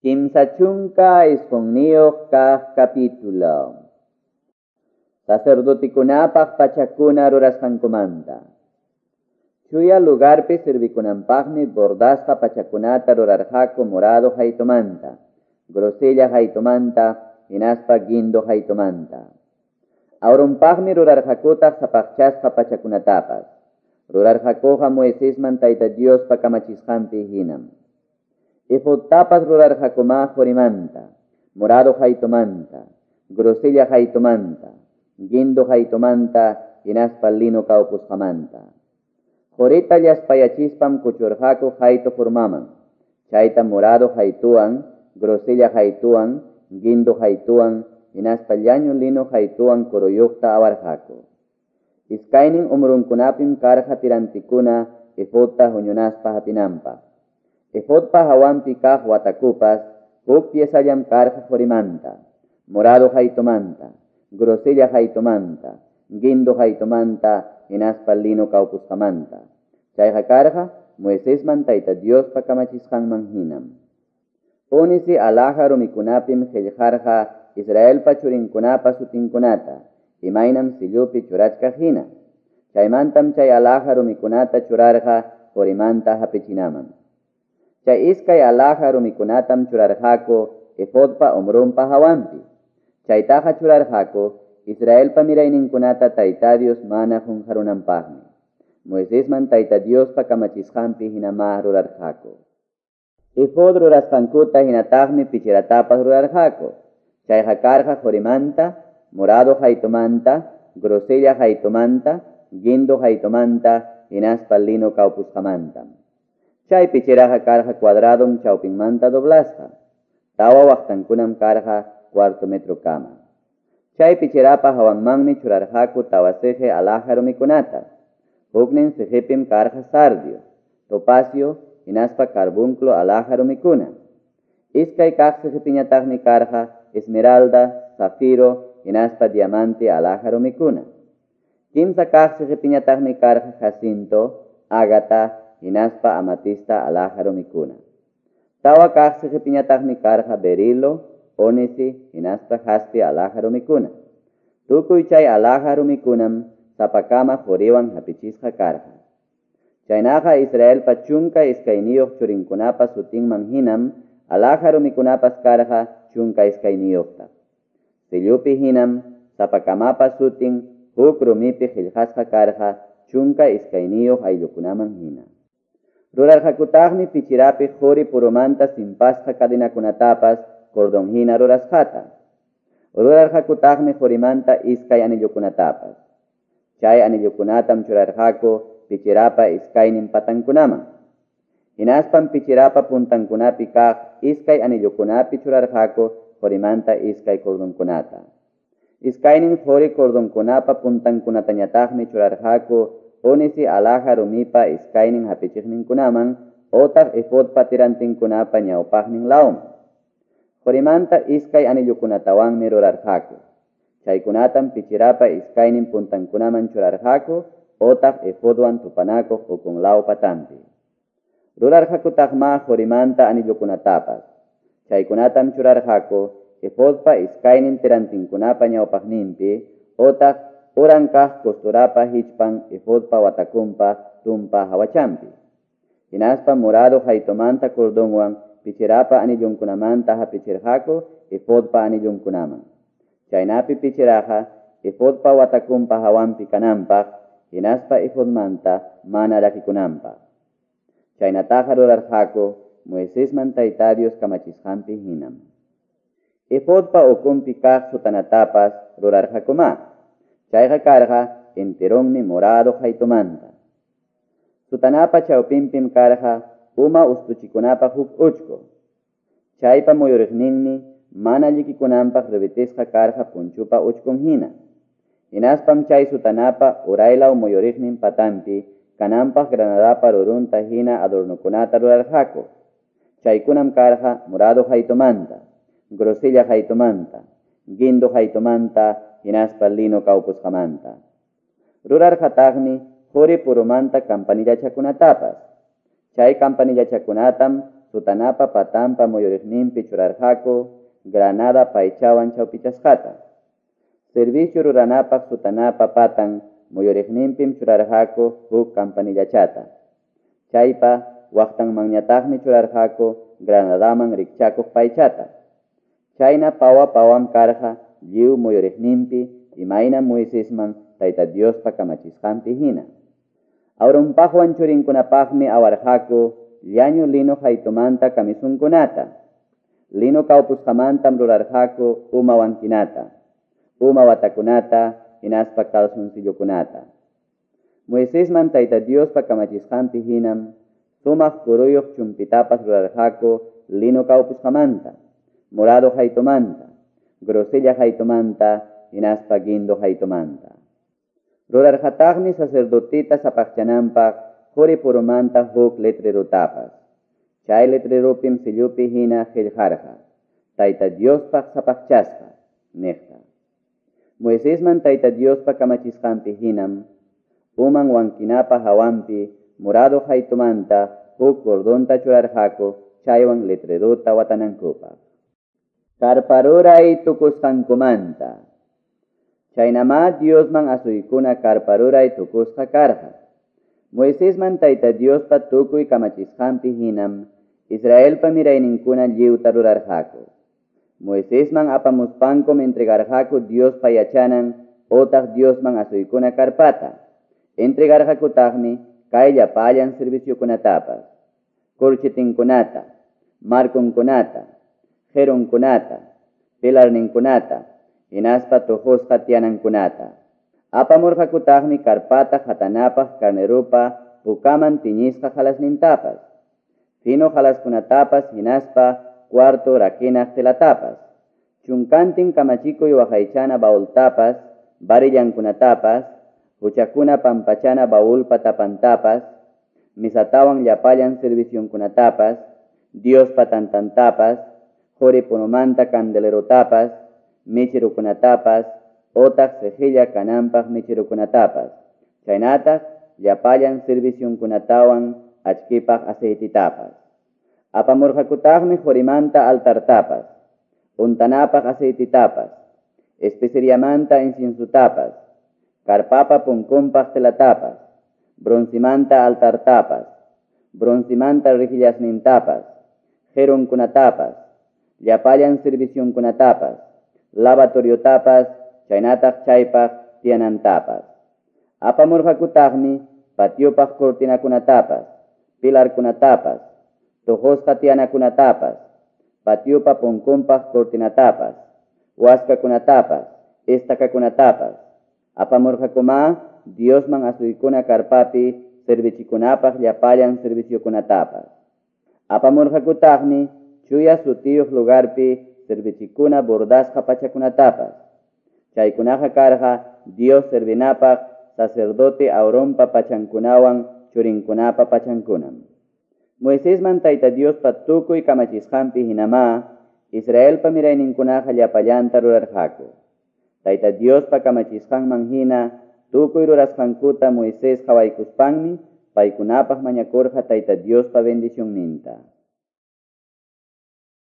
39 kaq capítulo. Sacerdotikunapaq pachakuna rurasqankumanta. Chuya lugarpi servikunanpaqmi bordasqa pachakunata rurarqaku morado haytumanta, grosella haytumanta, hinaspa guindo haytumanta. Aaronpaqmi rurarqakutaq sapaqchasqa pachakunatapas. Rurarqakuqa Moisesman Tayta Diospa kamachisqanpi hinam. Efodtapas rurarqakuma qorimanta, morado haytumanta, grosella haytumanta, guindo haytumanta, hinaspa lino kawpusqamanta. Qorita llaspayachispan kuchurqaku haytu formaman, chayta morado haytuwan, grosella haytuwan, guindo haytuwan, hinaspa llañu lino haytuwan kuruyuqta awarqaku. Iskaynin umrunkunapim karqa tirantikuna efodta huñunaspa hapinanpaq. Efodpa hawanpi kaq watakupas huk piesallam karqa qorimanta, morado haytumanta, grosella haytumanta, guindo haytumanta, hinaspa lino kawpusqamanta. Chayqa karqa Moisesman Tayta Diospa kamachisqanman hinam. Ónice alhaja rumikunapim qillqarqa Israelpa churinkunapa sutinkunata, imaynam sillupi churachkaq hina. Chaymantam chay alhaja rumikunata churarqa qorimanta hapichinaman. Chay iskay alhaja rumikunatam churarqaku efodpa umrunpa hawanpi. Chaytaqa churarqaku Israelpa mirayninkunata Tayta Dios mana qunqarunanpaqmi. Moisesman Tayta Diospa kamachisqanpi hinamá rurarqaku. Efod rurasqankuta hinataqmi pichiratapas rurarqaku. Chayqa karqa qorimanta, morado haytumanta, grosella haytumanta, guindo haytumanta, hinaspa lino kawpusqamanta. Chay pichiraqa karqa cuadradom chawpinmanta doblasqa. Tawa waqtankunam karqa cuarto metro kama. Chay pichirapa hawanmanmi churarqaku tawa siqi alhaja rumikunata. Huknin siqipim karqa sardio, topacio, hinaspa carbunclo alhaja rumikuna. Iskay kaq siqipiñataqmi karqa esmeralda, zafiro, hinaspa diamante alhaja rumikuna. Kimsa kaq siqipiñataqmi karqa jacinto, ágata, hinaspa amatista alhaja rumikuna. Tawa kaq siqipiñataqmi karqa berilo, ónice, hinaspa jaspe alhaja rumikuna. Tukuy chay alhaja rumikunam sapakama qoriwan hapichisqa karqa. Chaynaqa Israelpa 12 churinkunapa sutinman hinam alhaja rumikunapas karqa 12. Sillupi hinam sapakamapa sutin huk rumipi qillqasqa karqa 12 ayllukunaman hina. Rurarqakutaqmi pichirapi qori purumanta simpasqa cadenakunatapas cordón hina rurasqata. Rurarqakutaqmi qorimanta iskay anillukunatapas. Chay anillukunatam churarqaku pichirapa iskaynin patankunaman. Hinaspam pichirapa puntankunapi kaq iskay anillukunapi churarqaku qorimanta iskay cordonkunata. Iskaynin qori cordonkunapa puntankunatañataqmi churarqaku ónice alhaja rumipa iskaynin hapichiqninkunaman otaq efodpa tirantinkunapa ñawpaqnin lawman. Qorimanta iskay anillukunatawanmi rurarqaku. Chaykunatam pichirapa iskaynin puntankunaman churarqaku otaq efodwan tupanakuq ukun law patanpi. Rurarqakutaqma qorimanta anillukunatapas. Chaykunatam churarqaku efodpa iskaynin tirantinkunapa ñawpaqninpi otaq uran kaq costurapa hichpan efodpa watakunpa tumpa hawachanpi. Hinaspa morado haytumanta cordonwan pichirapa anillunkunamanta hapichirqaku efodpa anillunkunaman. Chaynapi pichiraqa efodpa watakunpa hawanpi kananpaq, hinaspa efodmanta mana rakikunanpaq. Chaynataqa rurarqaku Moisesman Tayta Dios kamachisqanpi hinam. Efodpa ukunpi kaq sotanatapas rurarqakuma. Chayqa karqa enteronmi morado haytumanta. Sotanapa chawpinpim karqa uma ustuchikunapaq huk uchku. Chaypa muyuriqninmi mana llikikunanpaq ribitisqa karqa punchupa uchkun hina. Hinaspam chay sotanapa uraylaw muyuriqnin patanpi kananpaq granadapa rurunta hina adornokunata rurarqaku. Chaykunam karqa morado haytumanta, grosella haytumanta, guindo haytumanta, hinaspa lino kawpusqamanta. Rurarqataqmi qori purumanta campanillachakunatapas. Chay campanillachakunatam sotanapa patanpa muyuriqninpi churarqaku granada paychawan chawpichasqata. Servicio ruranapaq sotanapa patan muyuriqninpim churarqaku huk campanillachata. Chaypa waqtanmanñataqmi churarqaku granadaman rikchakuq paychata. Chayna pawa-pawam karqa lliw muyuriqninpi, imaynam Moisesman Tayta Diospa kamachisqanpi hina. Aaronpaqwan churinkunapaqmi awarqaku llañu lino qaytumanta camisonkunata. Lino kawpusqamantam rurarqaku uma wankinata, uma watakunata hinaspa calzoncillokunata. Moisesman Tayta Diospa kamachisqanpi hinam sumaq kuruyuq chumpitapas rurarqaku lino kawpusqamanta, morado qaytumanta, grosella qaytumanta hinaspa guindo qaytumanta. Rurarqataqmi sacerdoteta sapaqchananpaq qori purumanta huk letrerotapas. Chay letreropim sellopi hina qellqarqa: Tayta Diospaq sapaqchasqa, niqta. Moisesman Tayta Diospa kamachisqanpi hinam uman wankinapa hawanpi morado qaytumanta huk cordonta churarqaku chaywan letrerota watanankupaq. Carpa ruray tukusqankumanta. Chaynamá Diosman asuykuna carpa ruray tukusqa karqa. Moisesman Tayta Diospa tukuy kamachisqanpi hinam Israelpa mirayninkuna lliwta rurarqaku. Moisesman apamuspankum entregarqaku Diospa yachanan otaq Diosman asuykuna carpata. Entregarqakutaqmi kay llapallan serviciokunatapas: corchetinkunata, marconkunata, qerunkunata, pilarninkunata, hinaspa tuqusqa tiyanankunata. Apamurqakutaqmi carpata qatanapaq carneropa pukaman tiñisqa qalasnintapas, fino qalaskunatapas hinaspa cuarto rakinaq telatapas, chunkantin kamachikuy waqaychana baultapas, varillankunatapas, huchakuna pampachana baulpa tapantapas, misatawan llapallan servicionkunatapas, Diospa tantantapas, qori punumanta candelerotapas, mecherokunatapas, otaq cejilla kananpaq mecherokunatapas, chaynataq llapallan servicionkunatawan achkipaq aceititapas. Apamurqakutaqmi qorimanta altartapas, untanapaq aceititapas, especeriamanta inciensotapas, carpapa punkunpaq telatapas, broncemanta altartapas, broncemanta rejillasnintapas, qerunkunatapas, llapallan servicionkunatapas, lavatoriotapas, chaynataq chaypaq tiyanantapas. Apamurqakutaqmi patiopaq cortinakunatapas, pilarkunatapas, tuqusqa tiyanakunatapas, patiopa punkunpaq cortinatapas, waskakunatapas, estacakunatapas. Apamurqakumá Diosman asuykuna carpapi servichikunapaq llapallan serviciokunatapas. Apamurqakutaqmi chuya sutiyuq lugarpi servichikuna bordasqa pachakunatapas. Chaykunaqa karqa Dios servinapaq sacerdote Aaronpa pachankunawan churinkunapa pachankunam. Moisesman Tayta Diospa tukuy kamachisqanpi hinamá Israelpa mirayninkunaqa llapallanta rurarqaku. Tayta Diospa kamachisqanman hina tukuy rurasqankuta Moisés qawaykuspanmi paykunapaq mañakurqa Tayta Diospa bendicionninta.